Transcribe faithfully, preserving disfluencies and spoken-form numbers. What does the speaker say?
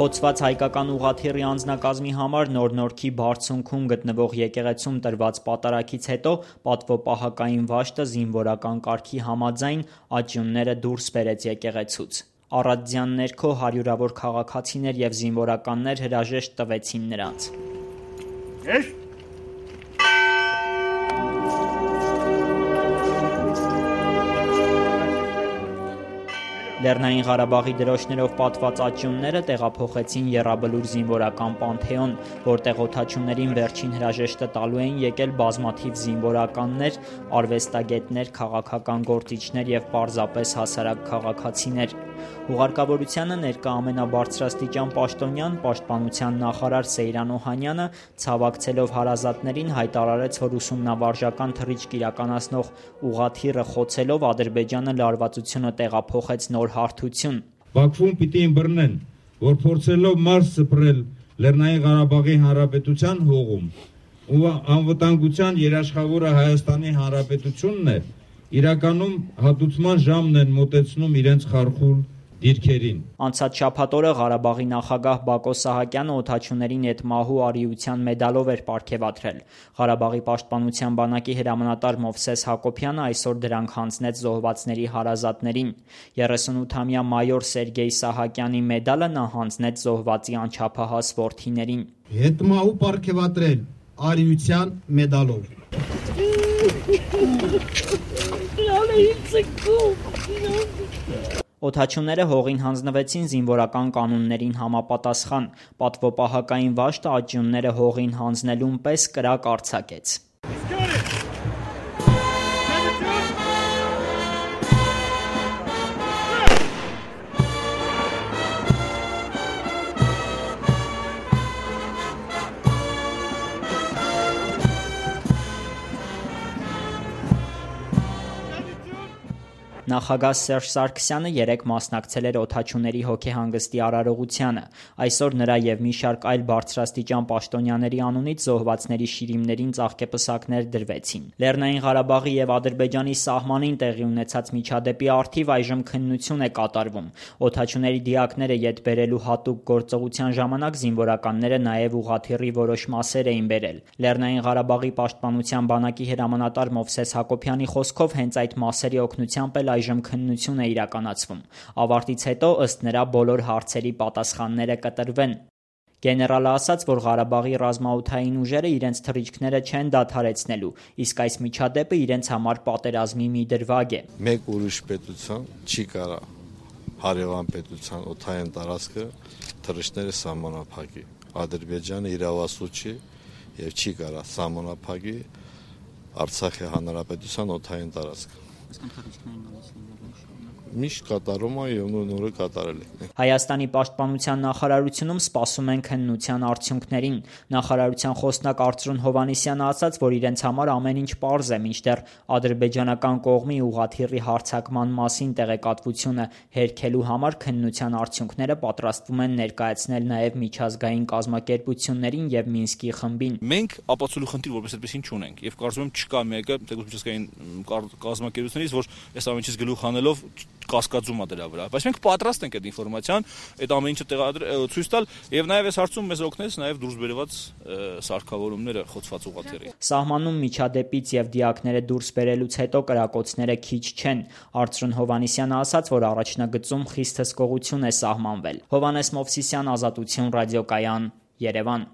Խոցված հայկական ուղղաթիռի անձնակազմի համար Նոր Նորքի բարձունքում գտնվող եկեղեցում տրված պատարագից հետո պատվոպահակային վաշտը զինվորական կարգի համաձայն աճյունները դուրս բերեց եկեղեցուց։ Առատձյան ներքո հարյուրավոր քաղաքացիներ և զինվորականներ հրաժեշտ տվեցին նրանց։ Լեռնային Ղարաբաղի դրոշներով պատված աճյունները տեղափոխեցին Եռաբլուր զինվորական պանթեոն, որտեղ օդաչուներին վերջին հրաժեշտը տալու էին եկել բազմաթիվ զինվորականներ, արվեստագետներ, քաղաքական գործիչներ և պարզապես հասարակ քաղաքացիներ։ Ուղարկավորությանը ներկա ամենաբարձրաստիճան պաշտոնյան, պաշտպանության նախարար Սեյրան Օհանյանը, ցավակցելով հարազատներին, հայտարարեց, որ ուսումնավարժական թռիչք իրականացնող ուղղաթիռը խոցելով Ադրբեջանը լարվածությունը տեղափոխեց նոր հարթություն։ Բաքվում պիտի ըմբռնեն, որ փորձելով Մարս սփռել Լեռնային Ղարաբաղի Հանրապետության հողում ու անվտանգության երաշխավորը Հայաստանի Հանրապետությունն է, իրականում հատուցման ժամն են մոտեցնում իրենց խարխուլ դիրքերին։ Անցած շաբաթ օրը Ղարաբաղի նախագահ Բակո Սահակյանը օդաչուներին էդ մահու արիության մեդալով էր պարգևատրել։ Ղարաբաղի պաշտպանության բանակի հրամանատար Մովսես Հակոբյանը այսօր դրանք հանձնեց զոհվածների հարազատներին։ երեսունութամյա մայոր Սերգեյ Սահակյանի մեդալը նա հանձնեց զոհվածի անչափահաս որդիներին։ Հետմահու պարգևատրել արիության մեդալով։ Օդաչուները հողին հանձնվեցին զինվորական կանոններին համապատասխան։ Պատվոպահակային վաշտը աճյունները հողին հանձնելուն պես կրակ արձակեց։ Նախագահ Սերժ Սարգսյանը երեկ մասնակցել էր օդաչուների հոգեհանգստի արարողությանը։ Այսօր նրա և մի շարք այլ բարձրաստիճան պաշտոնյաների անունից զոհվածների շիրիմներին ծաղկեպսակներ դրվեցին։ Լեռնային Ղարաբաղի և Ադրբեջանի սահմանին տեղի ունեցած միջադեպի առթիվ այժմ քննություն է կատարվում։ Օդաչուների դիակները ետ բերելու հատուկ գործողության ժամանակ զինվորականները նաև ուղղաթիռի որոշ մասեր էին բերել։ Լեռնային Ղարաբաղի պաշտպանության բանակի հրամանատար Մովսես Հակոբյանի խոսքով հենց այդ մասերի օգնությամբ էլ այժմ քննություն է իրականացվում։ Ավարտից հետո ըստ նրա բոլոր հարցերի պատասխանները կտրվեն։ Գեներալը ասաց, որ Ղարաբաղի ռազմաօդային ուժերը իրենց թռիչքները չեն դադարեցնելու, իսկ այս միջադեպը իրենց համար պատերազմի մի դրվագ է։ Մեկ ուրիշ պետության չի կարա հարևան պետության օդային տարածքը թռիչքները սահմանափակի։ Ադրբեջանը իրավասու չի եւ չի կարա սահմանափակի Արցախի հանրապետության օդային տարածքը։ Միշտ կատարում է եւ նորը կատարել է։ Հայաստանի պաշտպանության նախարարությունում սպասում են քննության արդյունքներին։ Նախարարության խոսնակ Արծրուն Հովհաննիսյանը ասաց, որ իրենց համար ամեն ինչ պարզ է, մինչդեռ ադրբեջանական կողմի ուղղաթիռի հարձակման մասին տեղեկատվությունը հերքելու համար քննության արդյունքները պատրաստվում են ներկայացնել նաեւ միջազգային կազմակերպություններին եւ Մինսկի խմբին։ Մենք ապացուցելու խնդիր որպես այդպեսին չունենք եւ կարծում եմ չկա մեկը թեկուզ միջազգային կազմակերպություններից, որ այս ամենից գլուխ հանելով կասկածում է դրա վրա, բայց մենք պատրաստ ենք այդ ինֆորմացիան, այդ ամեն ինչը տեղադրել, ցույց տալ եւ նաեւ այս հարցում մեզ օգնեց նաեւ դուրս բերված սարքավորումները խոցված ուղղաթիռի։ Սահմանում միջադեպից եւ դիակները դուրս բերելուց հետո կրակոցները քիչ չեն։ Արծրուն Հովհաննիսյանը ասաց, որ առաջնագծում խիստ հսկողություն է սահմանվել։ Հովհաննես Մովսիսյան, Ազատություն ռադիոկայան, Երևան։